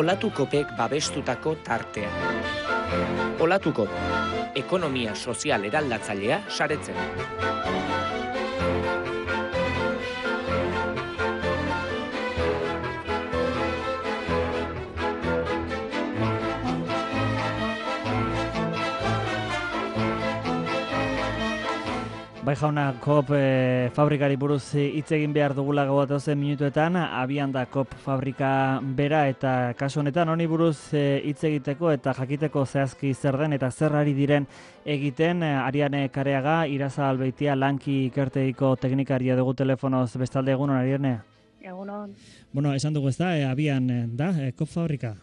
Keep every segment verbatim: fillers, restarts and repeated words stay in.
Olatukopek babestutako tartea. Olatukop, ekonomia sozial eraldatzailea saretzen. Bai jauna, Coop e, fabrikari buruz hitz egin behar dugula gauatozen minutuetan, abian da Coop fabrika bera eta kasu honetan honi buruz hitz e, egiteko eta jakiteko zehazki zer den eta zer ari diren egiten, Ariane Kareaga, Iraza Albeitia, Lanki ikertegiko teknikaria dugu telefonoz bestalde. Egunon, Ariane? Egunon. Bueno, esan dugu ez da, e, abian da, e, Coop fabrika?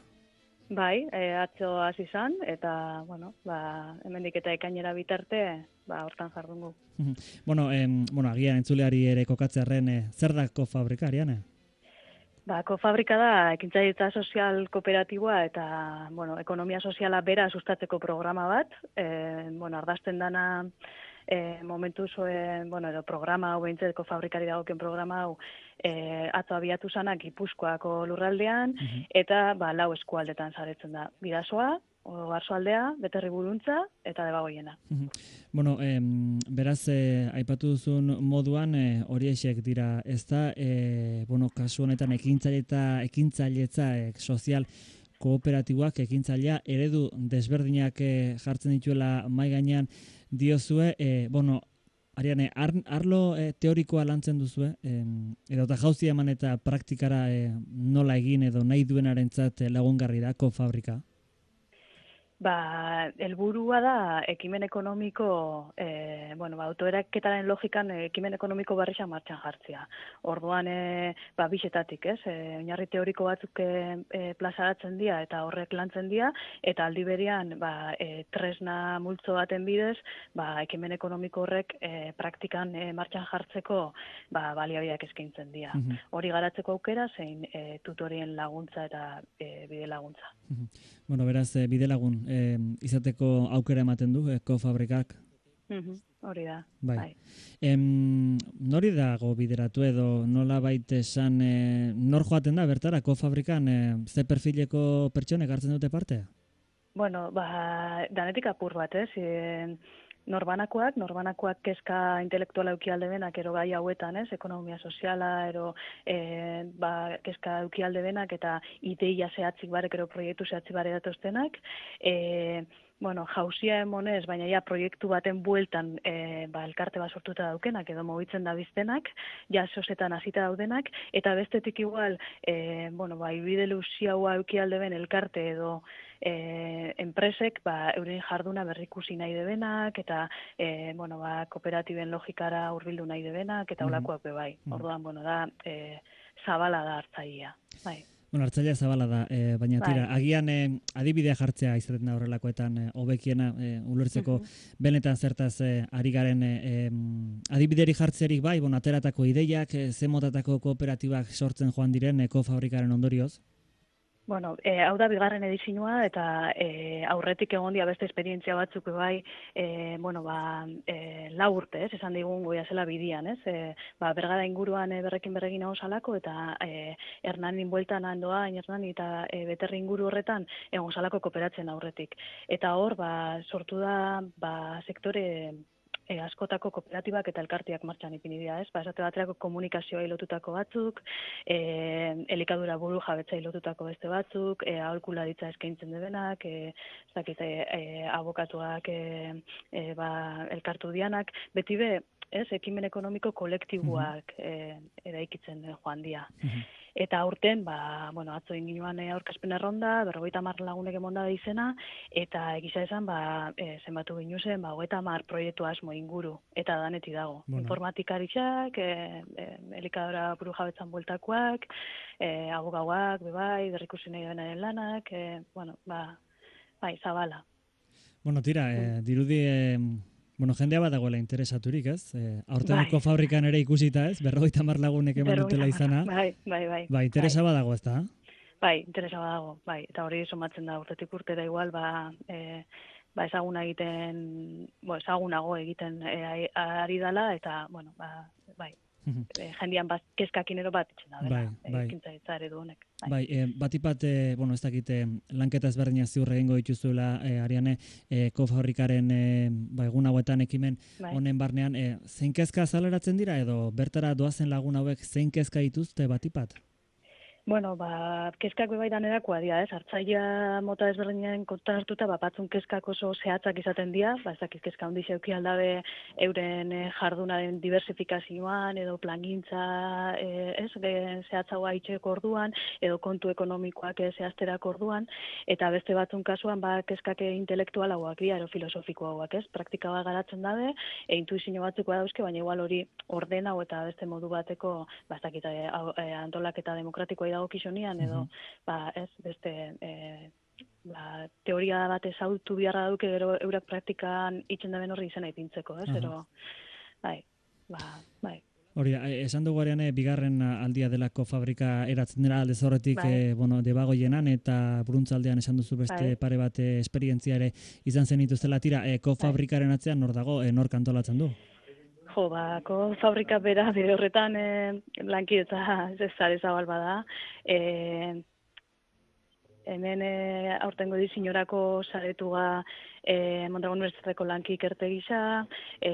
Bai, e, atzo hasi izan eta, bueno, ba, hemendik eta ekainera bitarte, ba, hortan jardungu. Bueno, em, bueno, agian entzuleari ere kokatzearren, e, zer da Coop fabrika, Ariane? Ba, Coop fabrika da ekintzailitza sozial kooperatiboa eta, bueno, ekonomia soziala bera sustatzeko programa bat. E, bueno, ardazten dana e, momentu zuen, bueno, edo programa hau behintzeko fabrikari dagoken programa hau e, atzo abiatu zanak Gipuzkoako lurraldean, uh-huh. eta ba, lau eskualdetan saretzen da. Bidasoa, Oarsoaldea, Beterri Buruntza eta Debagoiena. Uh-huh. Bueno, em, beraz, eh, aipatu duzun moduan eh, horiexek dira, ez da, eh, bueno, kasu honetan ekintzaileta, ekintzailetza eh, sozial kooperatiboak ekintzailea eredu desberdinak eh, jartzen dituela mai gainean diozue, eh, bueno, Ariane, ar, arlo eh, teorikoa lantzen duzue, eh, edo eta jauzi eman eta praktikara eh, nola egin edo nahi duenarentzat eh, lagungarri da Coop fabrika? Ba, helburua da ekimen ekonomiko, e, bueno, ba, autoeraketaren logikan ekimen ekonomiko barrixa martxan jartzea. Orduan, e, ba, bisetatik, ez? E, oinarri teoriko batzuk e, plazaratzen dira eta horrek lantzen dira, eta aldi berean, ba, e, tresna multzo baten bidez, ba, ekimen ekonomiko horrek e, praktikan e, martxan jartzeko ba, baliabideak eskaintzen dira. Uh-huh. Hori garatzeko aukera, zein e, tutorien laguntza eta e, bide laguntza. Uh-huh. Bueno, beraz, e, bide lagun eh, izateko aukera ematen du eh, Coop fabrikak. Uh-huh. Hori da. Bai. Bai. Em, nori dago bideratu edo nola baita esan eh, nor joaten da bertara Coop fabrikan eh, ze perfileko pertsonek hartzen dute parte? Bueno, ba, danetik apur bat, ez? E, Norbanakoak, norbanakoak kezka intelektuala eukialde benak, ero gai hauetan, ez, ekonomia soziala, ero e, ba, kezka eukialde benak, eta ideia zehatzik barek, ero proiektu zehatzik bare datoztenak. E, bueno, jauzia emonez, baina ja proiektu baten bueltan e, ba, elkarte bat sortuta daukenak, edo mobitzen da biztenak, ja sosetan hasita daudenak, eta bestetik igual, e, bueno, ba, ibide luziaua eukialde ben elkarte edo E, enpresek ba, euren jarduna berrikusi nahi debenak eta e, bueno, ba, kooperatiben logikara hurbildu nahi debenak eta olakoak be bai. Mm-hmm. Orduan, bueno, da e, zabala da hartzailea. Bai. Bueno, hartzailea zabala da, e, baina tira, bai. Agian e, adibidea jartzea izaten da horrelakoetan e, hobekiena e, ulertzeko mm-hmm. benetan zertaz e, ari garen e, adibideri jartzerik bai, bueno, ateratako ideiak, e, ze motatako kooperatibak sortzen joan diren e, Coop fabrikaren ondorioz? Bueno, e, hau da bigarren edizioa eta e, aurretik egon dia beste esperientzia batzuk bai, e, bueno, ba, e, lau urte, ez, esan digun goia zela bidian, ez, e, ba, bergara inguruan e, berrekin berrekin hau salako eta e, Hernanin bueltan handoa, Hernani eta e, Beterri inguru horretan egon salako kooperatzen aurretik. Eta hor, ba, sortu da, ba, sektore E, askotako kooperatibak eta elkartiak martxan ipini dira, ez? Ba, esate baterako komunikazioa lotutako batzuk, e, elikadura buru jabetzai lotutako beste batzuk, e, aholkularitza eskaintzen debenak, e, ez dakit, e, abokatuak e, e, ba, elkartu dianak, beti be, ez, ekimen ekonomiko kolektiboak e, eraikitzen joan dira. Uh-huh. Eta aurten, ba, bueno, atzo inginuan aurkezpen erronda, berrogeita hamar lagunek emonda da izena, eta egisa esan, ba, e, zenbatu ginu zen, ba, hogeita hamar proiektu asmo inguru, eta daneti dago. Bueno. Informatikaritzak, e, e, elikadura buru jabetzan bueltakoak, e, abogauak, bebai, berrikusi nahi denaren lanak, e, bueno, ba, bai, zabala. Bueno, tira, e, dirudi... E... Bueno, jendea badagoela interesaturik, ez? E, aurteneko bai. Fabrikan ere ikusita, ez? Berrogeita hamar lagunek eman dutela izana. Bai, bai, bai. Ba, interesa bai. Badago, ez da? Bai, interesa badago, bai. Eta hori somatzen da urtetik urtera igual, ba, e, ba ezaguna egiten, bo, ezagunago egiten e, ari dala, eta, bueno, ba, bai, e, jendian bat, kezkakinero bat itxen da, bai, bai. ekintzaritza eredu honek. Bai, bai e, batipat, e, bueno, ez dakite, lanketa ezberdinak ziur egingo dituzuela, e, Ariane, e, kofabrikaren e, ba, egun hauetan ekimen bai. honen barnean, e, zein kezka azaleratzen dira, edo bertara doazen lagun hauek zein kezka dituzte batipat? Bueno, ba, kezkak bebai danerakoa dira, ez? Hartzaia mota ezberdinen kontan hartuta, ba, batzun kezkak oso zehatzak izaten dira, ba, ez dakit kezka handi zeuki aldabe euren e, jardunaren diversifikazioan, edo plangintza, e, ez, e, zehatzagoa itxeko orduan, edo kontu ekonomikoak e, zehazterako orduan, eta beste batzun kasuan, ba, kezkak intelektualauak dira, edo filosofikoagoak, ez? Praktika bat garatzen dabe, e, intuizio batzuk dauzke, baina igual hori ordena eta beste modu bateko, ba, ez dakit, e, e, antolaketa demokratikoa dagokizonian edo uh-huh. ba ez beste e, ba, teoria bat ezautu biharra duke gero eurak praktikan itzen daben horri izena ipintzeko, ez? Uh-huh. Ero, bai, ba, bai. Hori, esan dugu Ariane, bigarren aldia delako fabrika eratzen dira alde zorretik, bai. e, bueno, debagoienan eta Bruntzaldean esan duzu beste bai. pare bat e, esperientzia ere izan zen dituztela tira, e, kofabrikaren atzean nor dago, e, nor kantolatzen du? Jo, ba, kofabrika bera, bere horretan e, lankidetza ez zare zabal bada. E, hemen e, aurtengo dizinorako saretuga e, Mondragon Unibertsitateko lanki ikerte gisa, e,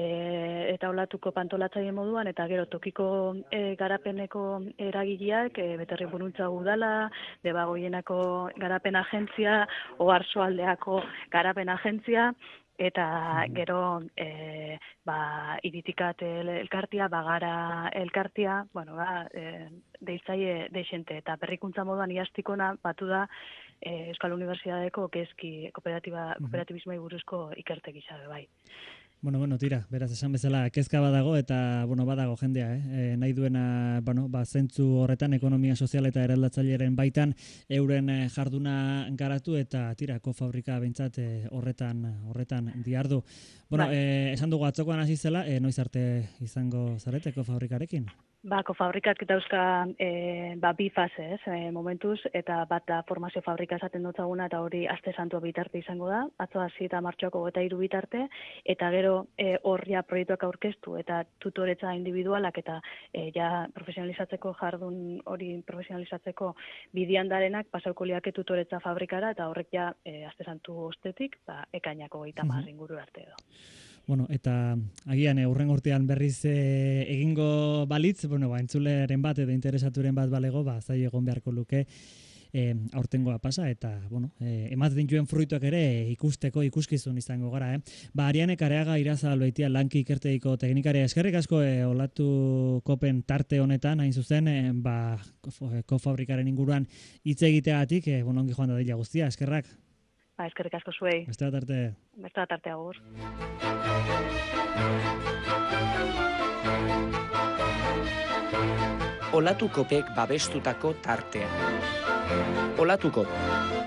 eta olatuko pantolatzaile moduan, eta gero tokiko e, garapeneko eragileak, e, beterri buruntza udala, debagoienako garapen agentzia, oarsoaldeako garapen agentzia, eta gero e, ba, iritikat elkartia, bagara elkartia, bueno, ba, e, deitzaile deixente, eta berrikuntza moduan iastikona batu da e, Euskal Unibertsitateko kezki kooperatiba, kooperatibismoi buruzko ikerte gisa bai. Bueno, bueno, tira, beraz esan bezala kezka badago eta bueno, badago jendea, eh? E, nahi duena, bueno, ba, zentzu horretan ekonomia sozial eta eraldatzaileren baitan euren jarduna garatu eta tira, kofabrika behintzat e, horretan horretan diardu. Bueno, ba. e, esan dugu atzokoan hasi zela, e, noiz arte izango zarete kofabrikarekin? Ba, kofabrikak dauzka e, ba, bi fase, ez, e, momentuz, eta bat da formazio fabrika esaten dutzaguna, eta hori aste santua bitarte izango da, atzo hasi eta martxoako eta hiru bitarte, eta gero e, horria proiektuak aurkeztu, eta tutoretza individualak, eta e, ja profesionalizatzeko jardun hori profesionalizatzeko bidian darenak, pasauko liake tutoretza fabrikara, eta horrek ja e, aste santu ostetik, ba, ekainako goita mar inguru arte edo. Bueno, eta agian urren urtean berriz e, egingo balitz, bueno, ba, entzuleren bat edo interesaturen bat balego, ba, zai egon beharko luke e, aurtengoa pasa, eta, bueno, e, ematen dituen fruituak ere ikusteko ikuskizun izango gara, eh? Ba, Ariane Kareaga Irazal baitia lanki ikerteiko teknikaria, eskerrik asko e, olatu kopen tarte honetan, hain zuzen, e, ba, kofabrikaren inguruan hitz egiteagatik, e, bueno, ongi joan da dila guztia, eskerrak. Ba, eskerrik asko zuei. Beste bat arte. Beste bat arte agur. Olatukopek babestutako tartea. Olatukop,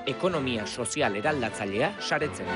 ekonomia sozial eraldatzailea saretzen.